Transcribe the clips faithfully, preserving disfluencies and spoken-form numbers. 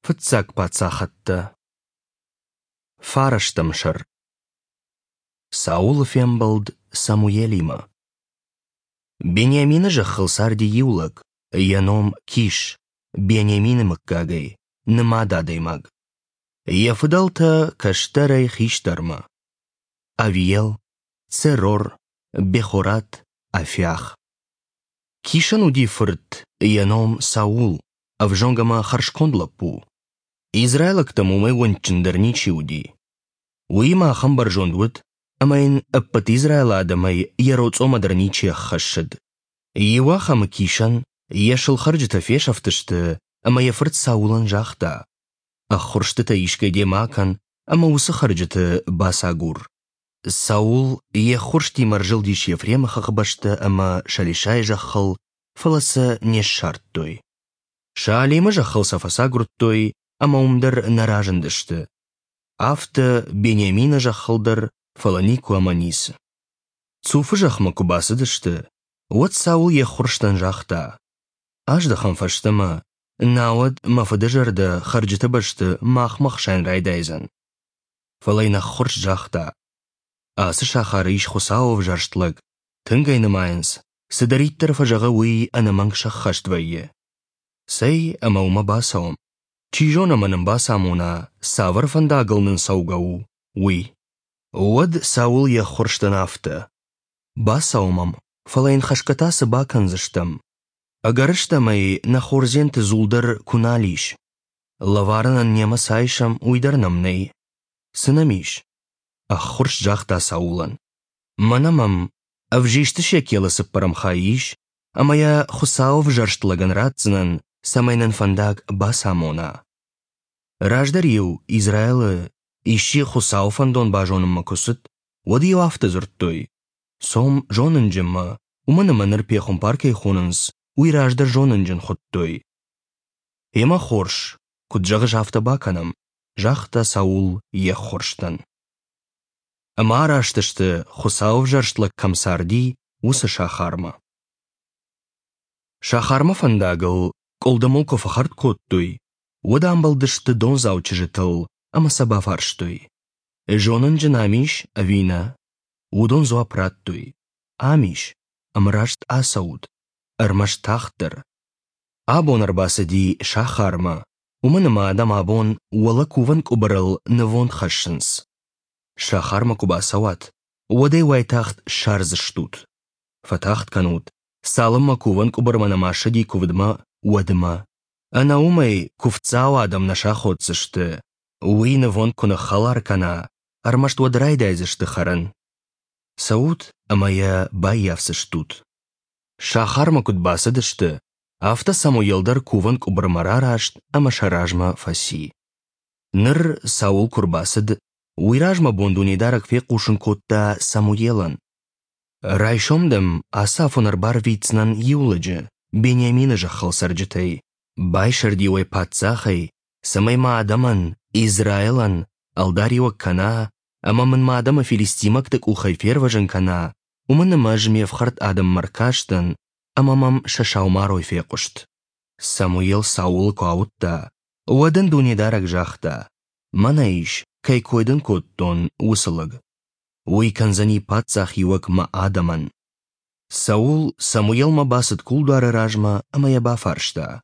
Фыццаг паддзахӕдтӕ. Фарӕстӕм сӕр. Саулы фембӕлд Самуелимӕ. Бениамины зӕххыл царди иу лӕг, йӕ ном Киш, Бениамины мыггагӕй, нымад адӕймаг. Йӕ фыдӕлтӕ кӕстӕрӕй хистӕрмӕ: Авиел, Церор, Бехорат, Афиах. Кишӕн уыди фырт, йӕ ном Саул, ӕвзонг ӕмӕ хӕрзконд лӕппу. Израилӕгтӕм уымӕй уӕнгджындӕр ничи уыди. Уыимӕ ахӕм бӕрзонд уыд, ӕмӕ йын ӕппӕт Израилы адӕмӕй йӕ роцъомӕ дӕр ничи ӕххӕссыд. Иуахӕмы Кишӕн йӕ сылхӕрджытӕ фесӕфтысты, ӕмӕ йӕ фырт Саулӕн загъта: «Ӕххуырстытӕ искӕй демӕ акӕн ӕмӕ уыцы хӕрджыты бацагур». Саул йе ххуырстимӕ ӕрзылдис Ефремы хӕхбӕсты ӕмӕ Шалишайы зӕххыл, фӕлӕ сӕ не ссардтой. Шаалимы зӕххыл сӕ фӕцагуырдтой ӕмӕ уым дӕр нӕ разындысты. Афтӕ Бениамины зӕххыл дӕр, фӕлӕ никуы ӕмӕ ницы. Цуфы зӕхмӕ куы бацыдысты, уӕд Саул йе ххуырстӕн загъта: «Аздӕхӕм фӕстӕмӕ, науӕд мӕ фыды зӕрдӕ хӕрджыты бӕсты махмӕ хсайын райдайдзӕн». Фӕлӕ йын ӕххуырст загъта: «Ацы сахары ис Хуыцауы ӕвзӕрст лӕг, тынг ӕй нымайынц, цыдӕриддӕр фӕзӕгъы, уый ӕнӕмӕнг сӕххӕст вӕййы. Цӕй ӕмӕ уымӕ бацӕуӕм. Чи зоны ӕмӕ нын бацамона, цавӕр фӕндагыл нын цӕугӕ у, уый». Уӕд Саул йе ххуырстӕн афтӕ: «Бацӕуӕм ӕм, фӕлӕ йын хӕсгӕ та цы бакӕндзыстӕм? Ӕгӕрыстӕмӕй нӕ хордзенты дзул дӕр куы нал ис. Лӕварӕнӕн немӕ цы айсӕм, уый дӕр нӕм нӕй. Цы нӕм ис?» Ӕххуырст загъта Саулӕн: «Мӕнӕ мӕм ӕвзисты шекелы цыппӕрӕм хай ис, ӕмӕ йӕ Хуыцауы ӕвзӕрст лӕгӕн ратдзынӕн, цӕмӕй нын фӕндаг бацамона». Раздӕр-иу Израилы исчи Хуыцауы фӕндон базонынмӕ куы цыд, уӕд-иу афтӕ дзырдтой: «Цом зонынджынмӕ, уымӕн ӕмӕ ныр пехуымпар кӕй хонынц, уый раздӕр зонынджын хуыдтой». «Ӕмӕ хорз, куыд зӕгъыс, афтӕ бакӕнӕм», загъта Саул йе ххуырстӕн. Ӕмӕ араст сты, Хуыцауы ӕвзӕрст лӕг кӕм царди, уыцы сахармӕ. Сахармӕ фӕндагыл къуылдымыл куы фӕхӕрд кодтой, уӕд амбӕлдысты дондзау чызджытыл ӕмӕ сӕ бафарстой: «Зонынджын ам ис ӕви нӕ?» Уыдон дзуапп радтой: «Ам ис, ӕмӕ раст ацӕут, ӕрмӕст тагъддӕр. Абон ӕрбацыди сахармӕ, уымӕн ӕмӕ адӕм абон уӕлӕ кувӕн къуыбырыл нывонд хӕссынц. Сахармӕ куы бацӕуат, уӕд ӕй уайтагъд ссардзыстут. Фӕтагъд кӕнут, цалынмӕ кувӕн къуыбырмӕ нӕма ссыди куывдмӕ, уӕдмӕ. Ӕнӕ уымӕй куывддзау адӕм нӕ саходдзысты. Уый нывонд куы ныххӕлар кӕна, ӕрмӕст уӕд райдайдзысты хӕрын. Цӕут ӕмӕ йӕ баййафдзыстут». Сахармӕ куыд бацыдысты, афтӕ Самуел дӕр кувӕн къуыбырмӕ рараст ӕмӕ сӕ размӕ фӕци. Ныр Саул куы рбацыд, уый размӕ бон Дунедарӕг фехъусын кодта Самуелӕн: «Райсом дӕм ацы афон ӕрбарвитдзынӕн иу лӕджы Бениамины зӕххыл цӕрджытӕй, байсӕрд-иу ӕй паддзахӕй, цӕмӕй мӕ адӕмӕн, Израилӕн, ӕлдариуӕг кӕна ӕмӕ мын мӕ адӕмы филистимӕгты къухӕй фервӕзын кӕна, уымӕн ӕмӕ ӕз ме фхӕрд адӕммӕ ӕркастӕн, ӕмӕ мӕм сӕ саумарой фехъуыст». Самуел Саулы куы ауыдта, уӕд ын Дунедарӕг загъта: «Мӕнӕ ис, кӕй кой дын кодтон, уыцы лӕг. Уый кӕндзӕни паддзахиуӕг мӕ адӕмӕн». Саул Самуелмӕ бацыд кулдуары размӕ ӕмӕ йӕ бафарста: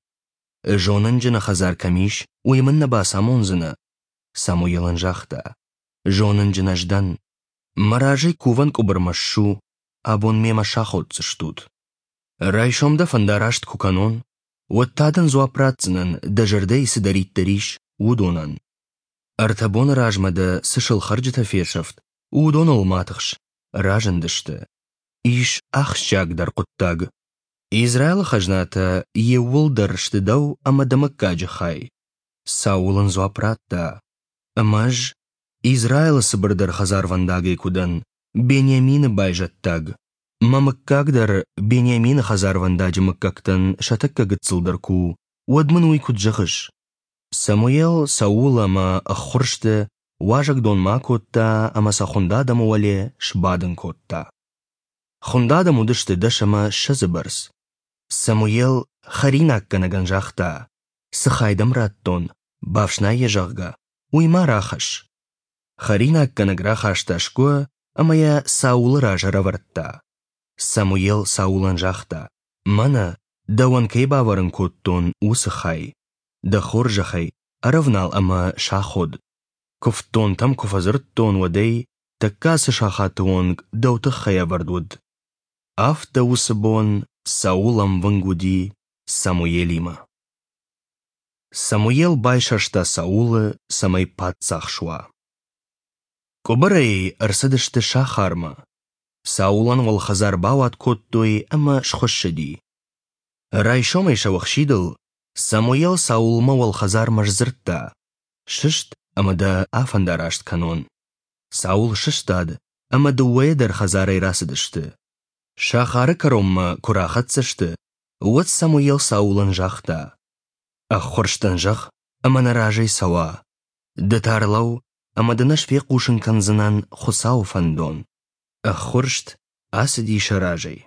«Зонынджыны хӕдзар кӕм ис, уый мын нӕ бацамондзынӕ?» Самуел ын загъта: «Зонынджын ӕз дӕн. Мӕ разӕй кувӕн къуыбырмӕ ссу, абон мемӕ саходдзыстут. Райсом дӕ фӕндараст куы кӕнон, уӕд та дын дзуапп ратдзынӕн, дӕ зӕрдӕйы цыдӕриддӕр ис, уыдонӕн. Ӕртӕ боны размӕ дӕ цы сылхӕрджытӕ фесӕфт, уыдоныл ма тыхс, разындысты. Ис ахсджиагдӕр хъуыддаг. Израилы хӕзнатӕ иууылдӕр сты дӕу ӕмӕ дӕ мыггаджы хай». Саул ын дзуапп радта: «Ӕмӕ ӕз Израилы цыбырдӕр хӕдзарвӕндагӕй куы дӕн, Бениамины байзӕддаг. Мӕ мыггаг дӕр Бениамины хӕдзарвӕндаджы мыггӕгтӕн сӕ тӕккӕ гыццылдӕр куы у, уӕд мын уый куыд зӕгъыс?» Самуел Саул ӕмӕ ӕххуырсты уазӕгдонмӕ акодта ӕмӕ сӕ хуынд адӕмы уӕле сбадын кодта. Хуынд адӕм уыдысты дӕс ӕмӕ ссӕдзы бӕрц. Самуел хӕринаггӕнӕгӕн загъта: «Цы хай дӕм радтон, Бафснай йӕ, зӕгъгӕ, уый ма рахӕсс. Хӕринаггӕнӕг рахаста сгуы ӕмӕ йӕ Саулы раз ӕрӕвӕрдта. Самуел Саулӕн загъта: Мӕнӕ, дӕуӕн кӕй бавӕрын кодтон, уыцы хай. Дӕ хорзӕхӕй, ӕрӕвнал ӕмӕ саход. Куывддонтӕм куы фӕдзырдтон, уӕдӕй тӕккӕ ацы сахаты онг дӕу тыххӕй ӕвӕрд уыд. Афтӕ уыцы бон Саул ӕмвынг уыди Самуелимӕ. Самуел байсӕрста Саулы, цӕмӕй паддзах суа. Къуыбырӕй ӕрцыдысты сахармӕ. Саулӕн уӕлхӕдзар бауат кодтой ӕмӕ схуыссыди. Райсомӕй сӕуӕхсидыл Самуел Саулмӕ уӕлхӕдзармӕ сдзырдта: «Сыст ӕмӕ дӕ афӕндараст кӕнон». Саул сыстад ӕмӕ дыууӕйӕ дӕр хӕдзарӕй рацыдысты. Сахары кӕронмӕ куы рахӕццӕ сты, уӕд Самуел Саулӕн загъта: «Ӕххуырстӕн зӕгъ, ӕмӕ нӕ разӕй цӕуа. Ды та ӕрлӕуу, ӕмӕ дын ӕз фехъусын кӕндзынӕн Хуыцауы фӕндон». Ӕххуырст ацыди сӕ разӕй.